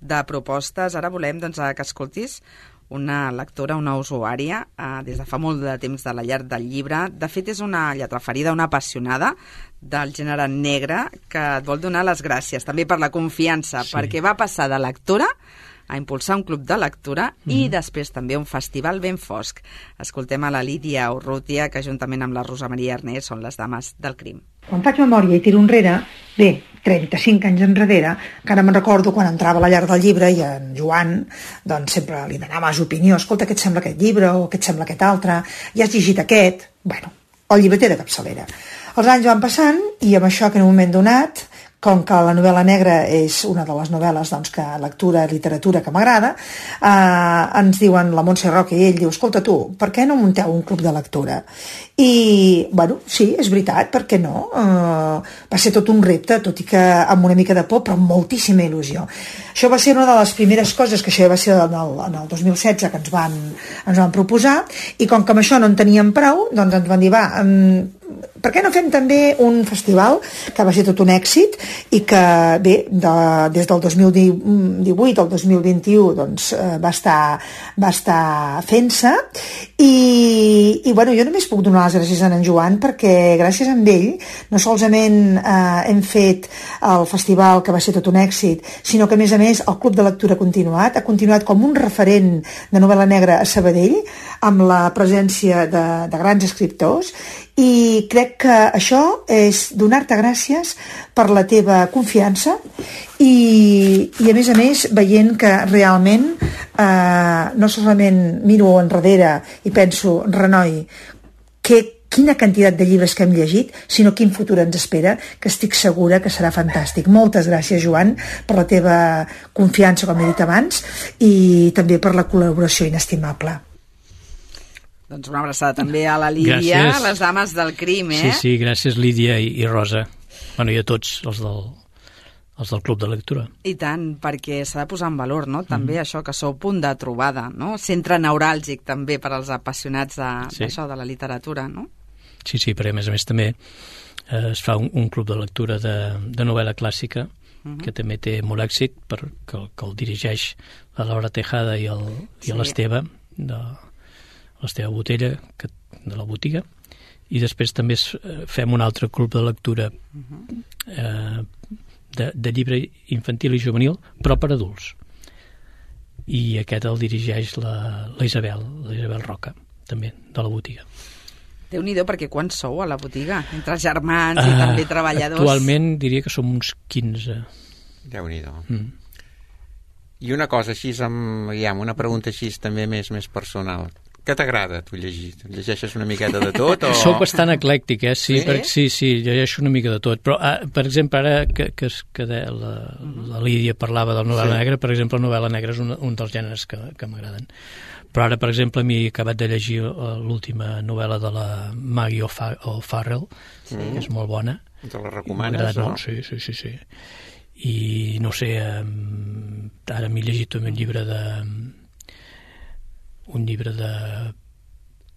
Speaker 3: de propostes. Ara volem, doncs, que escoltis una lectora, una usuària, des de fa molt de temps de la llar del llibre. De fet, és una lletraferida, una apassionada del gènere negre, que et vol donar les gràcies també per la confiança, perquè va passar de lectora a impulsar un club de lectura i després també un festival ben fosc. Escoltem a la Lídia Urrutia, que juntament amb la Rosa Maria Ernest són les dames del crim.
Speaker 11: Quan faig memòria i tiro enrere, 35 anys enrere, encara me'n recordo quan entrava a la llar del llibre i en Joan doncs sempre li donava les opinions, escolta, què et sembla aquest llibre o què et sembla aquest altre, ja has llegit aquest? Bueno, el llibreter de capçalera. Els anys van passant i amb això que en un moment donat, com que la novel·la negra és una de les novel·les doncs, que lectura i literatura que m'agrada, ens diuen la Montse Roca i ell diu, escolta tu, per què no munteu un club de lectura? I, bueno, sí, és veritat, per què no? Va ser tot un repte, tot i que amb una mica de por, però amb moltíssima il·lusió. Això va ser una de les primeres coses, que això va ser en el 2016 que ens van proposar, i com que amb això no en teníem prou, doncs ens van dir, va, per què no fem també un festival que va ser tot un èxit i que, bé, des del 2018 al 2021 doncs, va estar fent-se i bueno, jo només puc donar les gràcies a en Joan perquè gràcies a ell no solament hem fet el festival que va ser tot un èxit, sinó que a més el Club de Lectura ha continuat com un referent de novel·la negra a Sabadell amb la presència de grans escriptors i crec que això és donar-te gràcies per la teva confiança i a més veient que realment no solament miro enrere i penso, renoi, quina quantitat de llibres que hem llegit, sinó quin futur ens espera, que estic segura que serà fantàstic. Moltes gràcies, Joan, per la teva confiança, com he dit abans, i també per la col·laboració inestimable.
Speaker 3: Doncs una abraçada també a la Lídia, a les dames del crim,
Speaker 6: Sí, gràcies Lídia i Rosa. Bueno, i a tots els del Club de Lectura.
Speaker 3: I tant, perquè s'ha de posar en valor, no?, també això, que sou punt de trobada, no?, centre neuràlgic també per als apassionats d'això, de la literatura, no?
Speaker 6: Sí, perquè a més també es fa un club de lectura de novel·la clàssica, que també té molt èxit, que el dirigeix la Laura Tejada i l'Esteve, l'Esteve Botella, de la botiga, i després també fem un altre club de lectura de llibre infantil i juvenil, però per adults. I aquest el dirigeix la Isabel Roca, també, de la botiga.
Speaker 3: Déu-n'hi-do, perquè quants sou a la botiga? Entre germans i també treballadors.
Speaker 6: Actualment diria que som uns 15.
Speaker 4: Déu-n'hi-do. I una cosa així, una pregunta així també més personal. Què t'agrada, tu, llegir? Llegeixes una miqueta de tot? O...
Speaker 6: Soc bastant eclèctic, sí? Sí, llegeixo una mica de tot. Però, per exemple, ara que la Lídia parlava de la novel·la negra, per exemple, la novel·la negra és un dels gèneres que m'agraden. Però ara, per exemple, m'he acabat de llegir l'última novel·la de la Maggie O'Farrell, que és molt bona.
Speaker 4: Te la recomanes, no?
Speaker 6: Sí. I, no sé, ara m'he llegit un llibre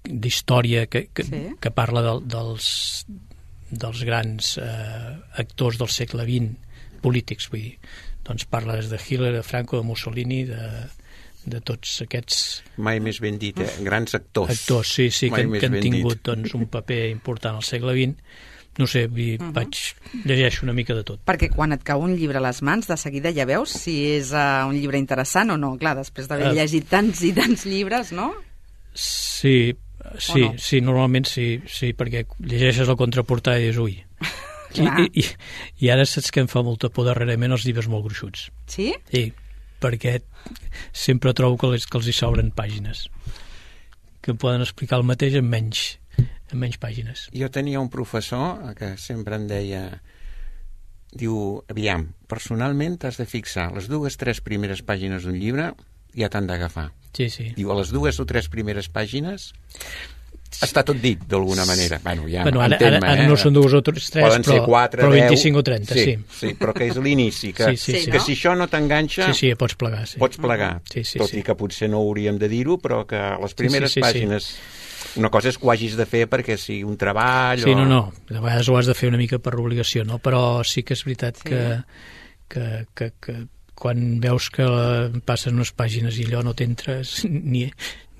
Speaker 6: d'història que parla dels grans actors del segle XX, polítics, vull dir. Doncs parla des de Hitler, de Franco, de Mussolini, de tots aquests...
Speaker 4: Mai més ben dit, grans actors.
Speaker 6: Actors, sí, que han tingut doncs, un paper important al segle XX. No sé, llegeixo una mica de tot.
Speaker 3: Perquè quan et cau un llibre a les mans, de seguida ja veus si és un llibre interessant o no. Clar, després d'haver llegit tants i tants llibres, no?
Speaker 6: Sí, normalment sí, perquè llegeixes la contraportada i dius, ui. I ara saps que em fa molta por darrerament els llibres molt gruixuts.
Speaker 3: Sí?
Speaker 6: Sí. perquè sempre trobo que els hi sobren pàgines, que poden explicar el mateix en menys pàgines.
Speaker 4: Jo tenia un professor que sempre em deia, diu, aviam, personalment t'has de fixar les 2-3 primeres pàgines d'un llibre, ja t'han d'agafar.
Speaker 6: Sí, sí.
Speaker 4: Diu, a les 2 o 3 primeres pàgines està tot dit, d'alguna manera. Bueno, ja
Speaker 6: ara no són 2 o 3,
Speaker 4: poden ser 4,
Speaker 6: però
Speaker 4: 10,
Speaker 6: 25 o 30, sí.
Speaker 4: Sí, però que és l'inici, que si això no t'enganxa...
Speaker 6: Sí, pots plegar. Sí.
Speaker 4: Pots plegar, tot i que potser no hauríem de dir-ho, però que les primeres pàgines... Una cosa és que ho hagis de fer perquè sigui un treball...
Speaker 6: Sí, no, de vegades ho has de fer una mica per obligació, no? Però sí que és veritat que quan veus que passen unes pàgines i allò no t'entres ni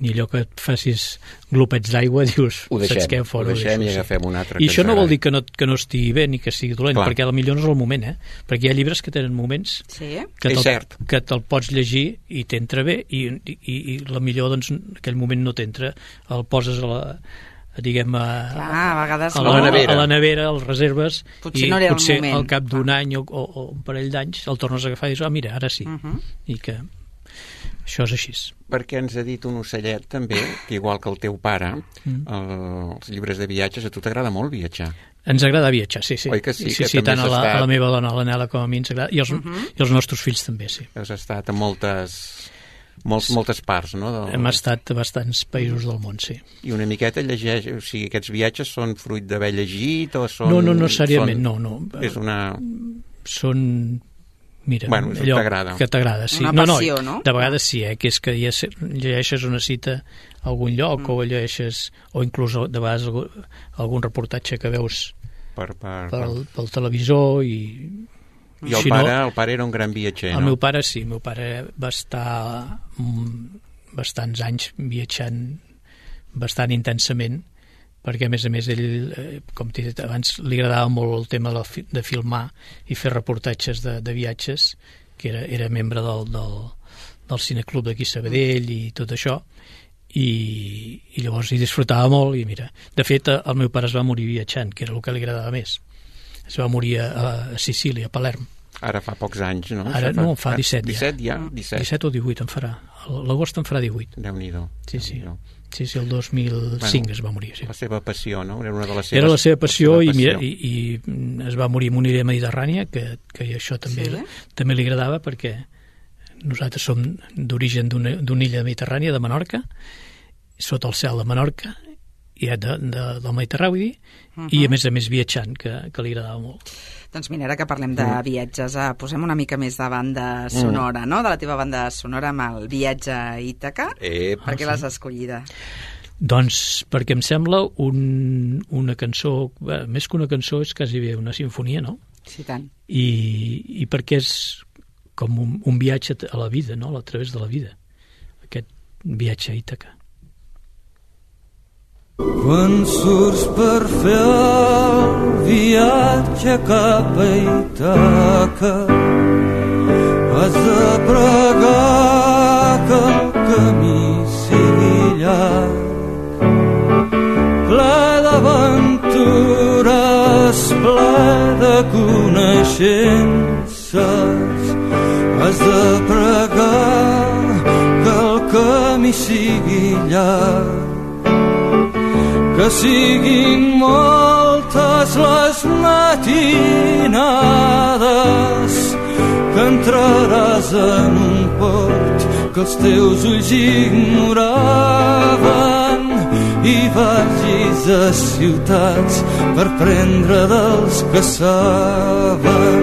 Speaker 6: allò que et facis glopets d'aigua, dius, saps què?
Speaker 4: Ho deixem i agafem un altre.
Speaker 6: I això no vol dir que no estigui bé ni que sigui dolent, perquè potser no és el moment, perquè hi ha llibres que tenen moments que te'l pots llegir i t'entra bé i la millor, doncs, en aquell moment no t'entra, el poses a la nevera, el reserves,
Speaker 3: potser
Speaker 6: i potser al cap d'un any o un parell d'anys el tornes a agafar i dius, mira, ara sí. I que això és així.
Speaker 4: Perquè ens ha dit un ocellet també, que igual que el teu pare, els llibres de viatges, a tu t'agrada molt viatjar.
Speaker 6: Ens agrada viatjar, sí.
Speaker 4: Oi que sí?
Speaker 6: Sí, tant a la meva dona, a l'Anela, com a mi ens agrada, i els nostres fills també, sí.
Speaker 4: Has estat a moltes parts, no?
Speaker 6: Hem estat a bastants països del món, sí.
Speaker 4: I una miqueta llegeix, o sigui, aquests viatges són fruit d'haver llegit o són...
Speaker 6: No necessàriament, no.
Speaker 4: És una...
Speaker 6: Són... Mira,
Speaker 4: bueno,
Speaker 6: allò
Speaker 4: t'agrada.
Speaker 6: Que t'agrada, sí.
Speaker 3: Una passió, no?
Speaker 6: De vegades sí, que és que ja llegeixes una cita a algun lloc o llegeixes, o inclús de vegades algun reportatge que veus pel televisor i
Speaker 4: el pare era un gran viatger, no?
Speaker 6: El meu pare sí, el meu pare va estar bastants anys viatjant bastant intensament, perquè a més ell, com t'he dit abans, li agradava molt el tema de filmar i fer reportatges de viatges, que era membre del cineclub d'aquí Sabadell i tot això, i llavors hi disfrutava molt, i mira, de fet el meu pare es va morir viatjant, que era el que li agradava més. Es va morir a Sicília, a Palerm.
Speaker 4: Ara fa pocs anys, no?
Speaker 6: Ara no, fa 17 ja.
Speaker 4: 17 ja? 17
Speaker 6: o 18 en farà. L'agost en farà 18.
Speaker 4: Déu-n'hi-do.
Speaker 6: Sí, el 2005 es va morir. Sí.
Speaker 4: La seva passió, no?
Speaker 6: Era la seva passió i es va morir en una illa mediterrània, que això també li agradava, perquè nosaltres som d'origen d'una illa mediterrània, de Menorca, sota el cel de Menorca, i del Mediterrani, vull dir, i a més viatjant, que li agradava molt.
Speaker 3: Doncs mira, ara que parlem de viatges, posem una mica més de banda sonora, no? De la teva banda sonora amb el viatge a Ítaca. Per què l'has escollida?
Speaker 6: Doncs perquè em sembla una cançó, més que una cançó és quasi bé una sinfonia, no?
Speaker 3: Sí, tant.
Speaker 6: I perquè és com un viatge a la vida, no? A través de la vida, aquest viatge a Ítaca.
Speaker 8: Quan surts per fer el viatge cap a Ítaca, has de pregar que el camí sigui llarg, ple d'aventures, ple de coneixences. Has de pregar que el camí sigui llarg, que siguin moltes les matinades, que entraràs en un port que els teus ulls ignoraven, i vagis a ciutats per prendre dels que saben.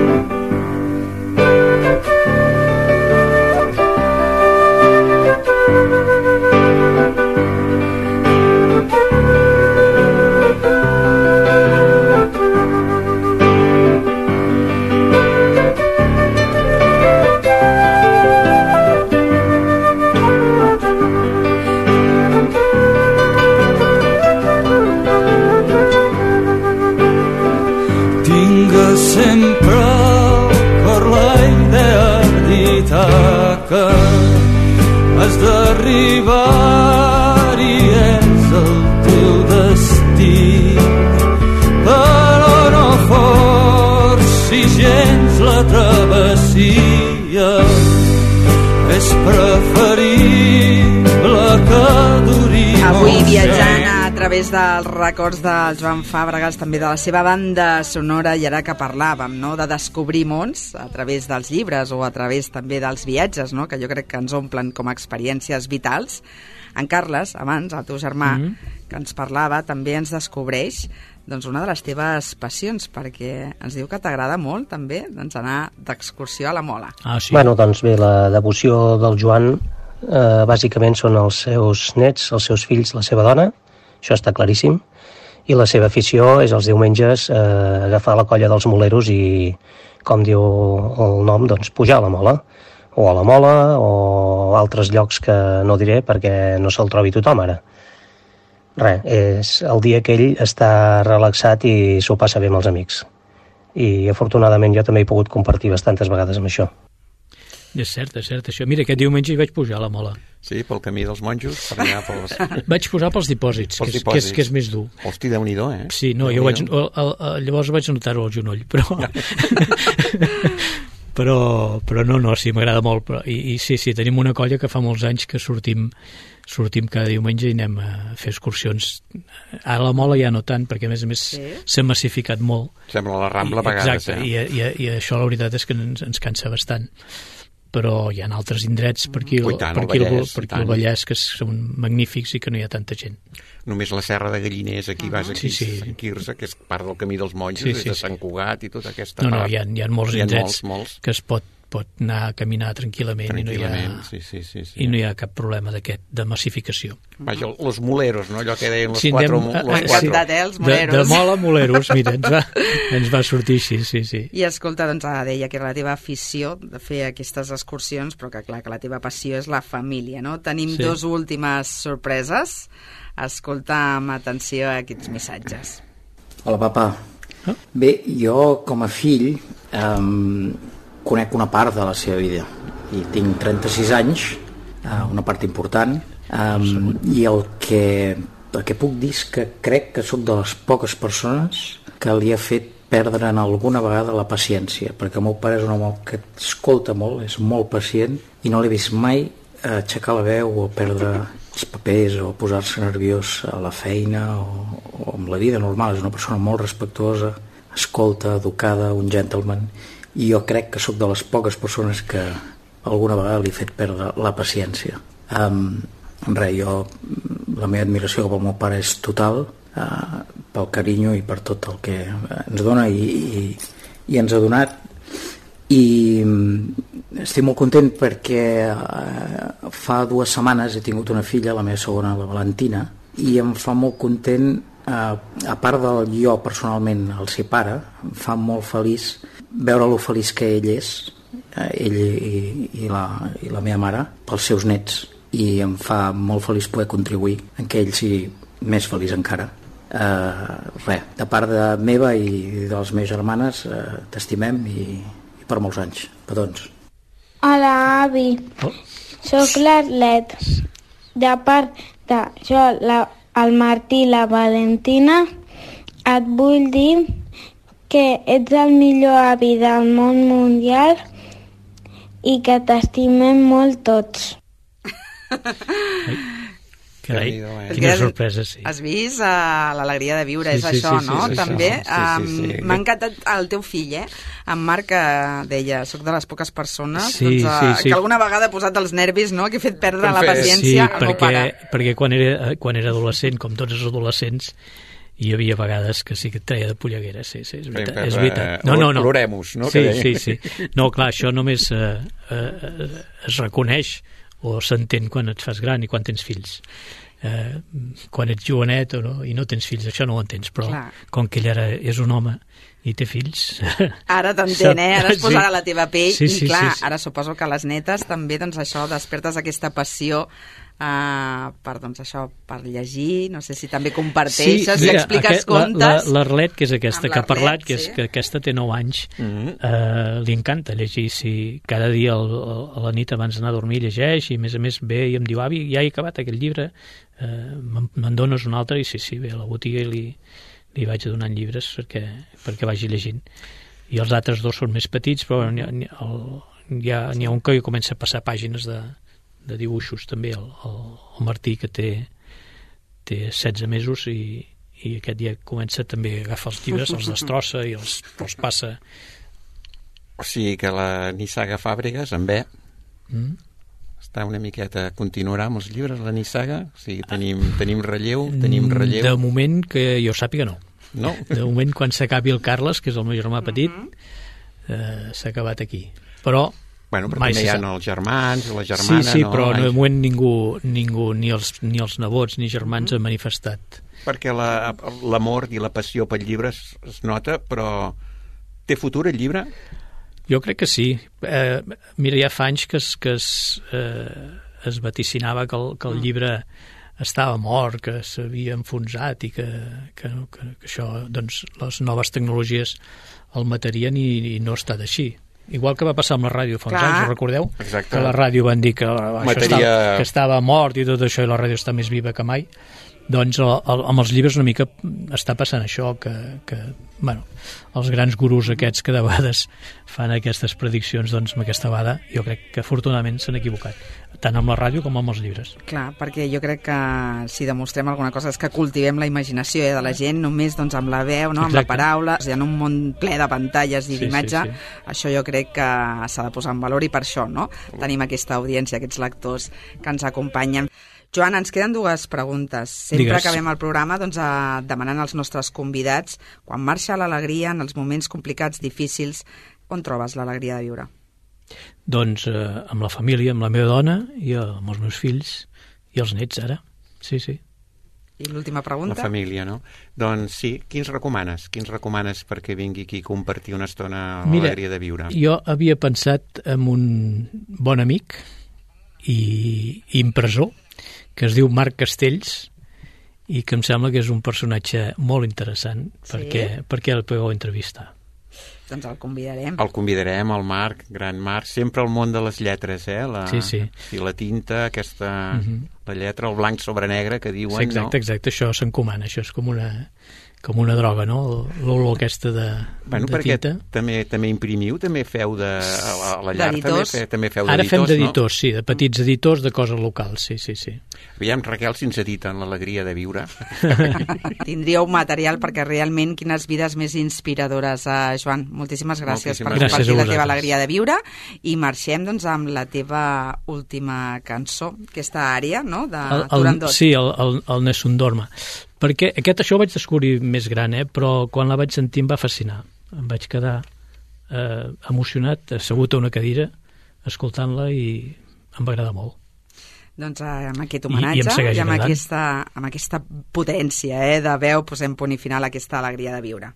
Speaker 8: Sempre al cor la idea d'Ítaca, has d'arribar i és el teu destí, però no forcis gens la travessia,
Speaker 3: través dels records del Joan Fàbregas, també de la seva banda sonora, i ara que parlàvem, no?, de descobrir mons a través dels llibres o a través també dels viatges, no?, que jo crec que ens omplen com a experiències vitals. En Carles, abans, el teu germà, que ens parlava, també ens descobreix doncs, una de les teves passions, perquè ens diu que t'agrada molt també doncs, anar d'excursió a la Mola.
Speaker 6: Sí.
Speaker 7: Bueno, doncs bé, la devoció del Joan bàsicament són els seus nets, els seus fills, la seva dona, això està claríssim, i la seva afició és els diumenges agafar la colla dels moleros i, com diu el nom, doncs pujar a la Mola, o a la Mola o altres llocs que no diré perquè no se'l trobi tothom ara. Res, és el dia que ell està relaxat i s'ho passa bé amb els amics. I afortunadament jo també he pogut compartir bastantes vegades amb això.
Speaker 6: És cert, això. Mira, aquest diumenge hi vaig pujar a la Mola.
Speaker 4: Sí, pel camí dels monjos, per allà pels...
Speaker 6: Vaig posar pels dipòsits, que és més dur.
Speaker 4: Hosti, Déu-n'hi-do, eh?
Speaker 6: Sí, no, jo llavors vaig notar-ho al genoll, però... però no, sí, m'agrada molt. I sí, tenim una colla que fa molts anys que sortim cada diumenge i anem a fer excursions. A la Mola ja no tant, perquè a més s'ha massificat molt.
Speaker 4: Sembla la Rambla a vegades.
Speaker 6: Exacte, i això la veritat és que ens cansa bastant. Però hi ha altres indrets per aquí el Vallès que són magnífics i que no hi ha tanta gent.
Speaker 4: Només la Serra de Galliners, aquí vas aquí, Sant Quirze, que és part del camí dels monjos, des de Sant Cugat i tota aquesta part.
Speaker 6: No, hi ha molts indrets que es pot anar a caminar tranquil·lament. I no hi ha cap problema de massificació.
Speaker 4: Vaja, los moleros, no? Allò que deien los quatre.
Speaker 3: Els moleros.
Speaker 6: De Mola moleros, mira, ens va sortir així, sí.
Speaker 3: I escolta, doncs deia que era la teva afició de fer aquestes excursions, però que clar, que la teva passió és la família, no? Tenim dos últimes sorpreses. Escolta amb atenció aquests missatges.
Speaker 12: Hola, papa. Bé, jo com a fill conec una part de la seva vida i tinc 36 anys, una part important, i el que puc dir és que crec que sóc de les poques persones que li ha fet perdre en alguna vegada la paciència, perquè el meu pare és un home que escolta molt, és molt pacient i no l'he vist mai aixecar la veu o perdre els papers o posar-se nerviós a la feina o amb la vida normal. És una persona molt respectuosa, escolta, educada, un gentleman, i jo crec que sóc de les poques persones que alguna vegada li he fet perdre la paciència. La meva admiració cap al meu pare és total, pel carinyo i per tot el que ens dona i ens ha donat, i estic molt content perquè fa 2 setmanes he tingut una filla, la meva segona, la Valentina, i em fa molt content, a part del jo personalment el ser pare, em fa molt feliç veure lo feliç que ell és, ell i la meva mare, pels seus nets, i em fa molt feliç poder contribuir en que ell sigui més feliç encara. De part de meva i de les meves germanes, t'estimem i per molts anys. Petons.
Speaker 13: Hola, avi. Soc l'Arlet. De part de jo, el Martí i la Valentina, et vull dir que ets el millor avi del món mundial i que t'estimem molt tots.
Speaker 6: Carai, quina sorpresa, sí.
Speaker 3: Has vist l'alegria de viure, és això, no? També m'ha encantat el teu fill, en Marc, que deia, soc de les poques persones que alguna vegada ha posat els nervis, no?, que he fet perdre la paciència al meu pare.
Speaker 6: Perquè quan era adolescent, com tots els adolescents, hi havia vegades que sí que et treia de polleguera, sí, és veritat. No.
Speaker 4: Plorem-nos, no?
Speaker 6: Sí. No, clar, això només es reconeix o s'entén quan et fas gran i quan tens fills. Quan ets jovenet i no tens fills, això no ho entens, però com que ell ara és un home i té fills...
Speaker 3: Ara t'entén, ara es posarà la teva pell i clar, ara suposo que les netes també, doncs això, despertes aquesta passió per llegir, no sé si també comparteixes i expliques contes.
Speaker 6: L'Arlet, que és aquesta que ha parlat, que aquesta té 9 anys, li encanta llegir. Cada dia a la nit abans d'anar a dormir llegeix i a més ve i em diu, avi, ja he acabat aquest llibre, me'n dones un altre? I sí, ve a la botiga i li vaig donant llibres perquè vagi llegint. I els altres 2 són més petits, però n'hi ha un que comença a passar pàgines de dibuixos també, el Martí, que té té 16 mesos i aquest dia comença també a agafar els llibres, els destrossa i els passa.
Speaker 4: O sigui que la nissaga Fàbregas, en bé, està una miqueta... Continuarà amb els llibres, la nissaga? O sigui, tenim relleu?
Speaker 6: De moment, que jo sàpiga, no.
Speaker 4: No?
Speaker 6: De moment, quan s'acabi el Carles, que és el meu germà petit, s'ha acabat aquí. Però...
Speaker 4: Bueno, però també hi ha els germans, la germana...
Speaker 6: Sí, però de moment ningú, ni els nebots ni germans han manifestat.
Speaker 4: Perquè l'amor i la passió pel llibre es nota, però té futur el llibre?
Speaker 6: Jo crec que sí. Mira, ja fa anys que es vaticinava que el llibre estava mort, que s'havia enfonsat i que això, doncs, les noves tecnologies el matarien i no ha estat així. Igual que va passar amb la ràdio fa uns anys, ho recordeu?
Speaker 4: Exacte.
Speaker 6: Que la ràdio van dir que estava mort i tot això, i la ràdio està més viva que mai. Doncs amb els llibres una mica està passant això, que bueno, els grans gurus aquests que de vegades fan aquestes prediccions, doncs amb aquesta vegada jo crec que afortunadament s'han equivocat, tant amb la ràdio com amb els llibres.
Speaker 3: Clar, perquè jo crec que si demostrem alguna cosa és que cultivem la imaginació de la gent només doncs, amb la veu, no? Amb la paraula, en un món ple de pantalles i d'imatge, això jo crec que s'ha de posar en valor i per això no? Tenim aquesta audiència, aquests lectors que ens acompanyen. Joan, ens queden dues preguntes. Sempre acabem el programa doncs, demanant als nostres convidats, quan marxa l'alegria en els moments complicats, difícils, on trobes l'alegria de viure?
Speaker 6: Doncs amb la família, amb la meva dona i amb els meus fills i els nets, ara. Sí.
Speaker 3: I l'última pregunta?
Speaker 4: La família, no? Doncs sí, quins recomanes? Quins recomanes perquè vingui aquí a compartir una estona l'alegria de viure?
Speaker 6: Jo havia pensat en un bon amic i impressor, que es diu Marc Castells, i que em sembla que és un personatge molt interessant perquè el podeu entrevistar.
Speaker 3: Doncs el convidarem.
Speaker 4: El convidarem, el Marc, gran Marc, sempre al món de les lletres,
Speaker 6: Sí.
Speaker 4: I la tinta, aquesta... La lletra, el blanc sobre negre, que diuen,
Speaker 6: exacte, això s'encomana, això és com una droga, no? L'olor aquesta de
Speaker 4: perquè
Speaker 6: tinta.
Speaker 4: També imprimiu, també feu a la llar, també feu d'editors,
Speaker 6: Ara fem d'editors, no? Sí, de petits editors de coses locals, sí.
Speaker 4: Aviam, Raquel, si ens editen l'alegria de viure.
Speaker 3: Tindríeu material perquè realment quines vides més inspiradores. Joan, moltíssimes gràcies per compartir la teva alegria de viure i marxem doncs amb la teva última cançó, aquesta àrea, no? De Turandot.
Speaker 6: Sí, el Nessun Dorma. Perquè això ho vaig descobrir més gran, però quan la vaig sentir em va fascinar. Em vaig quedar emocionat, assegut a una cadira, escoltant-la i em va agradar molt.
Speaker 3: Doncs amb aquest homenatge i amb aquesta potència de veu posem punt i final a aquesta alegria de viure.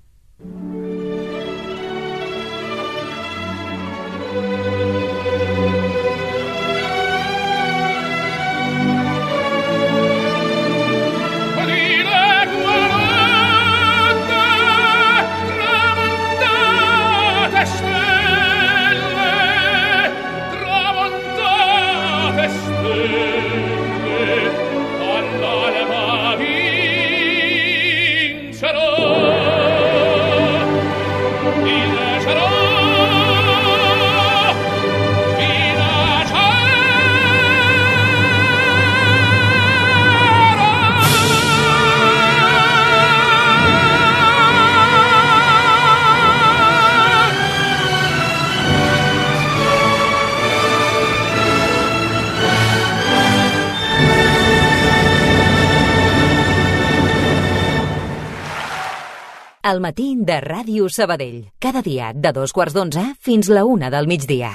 Speaker 1: El matí de Ràdio Sabadell. Cada dia de 2:15 fins la 1 del migdia.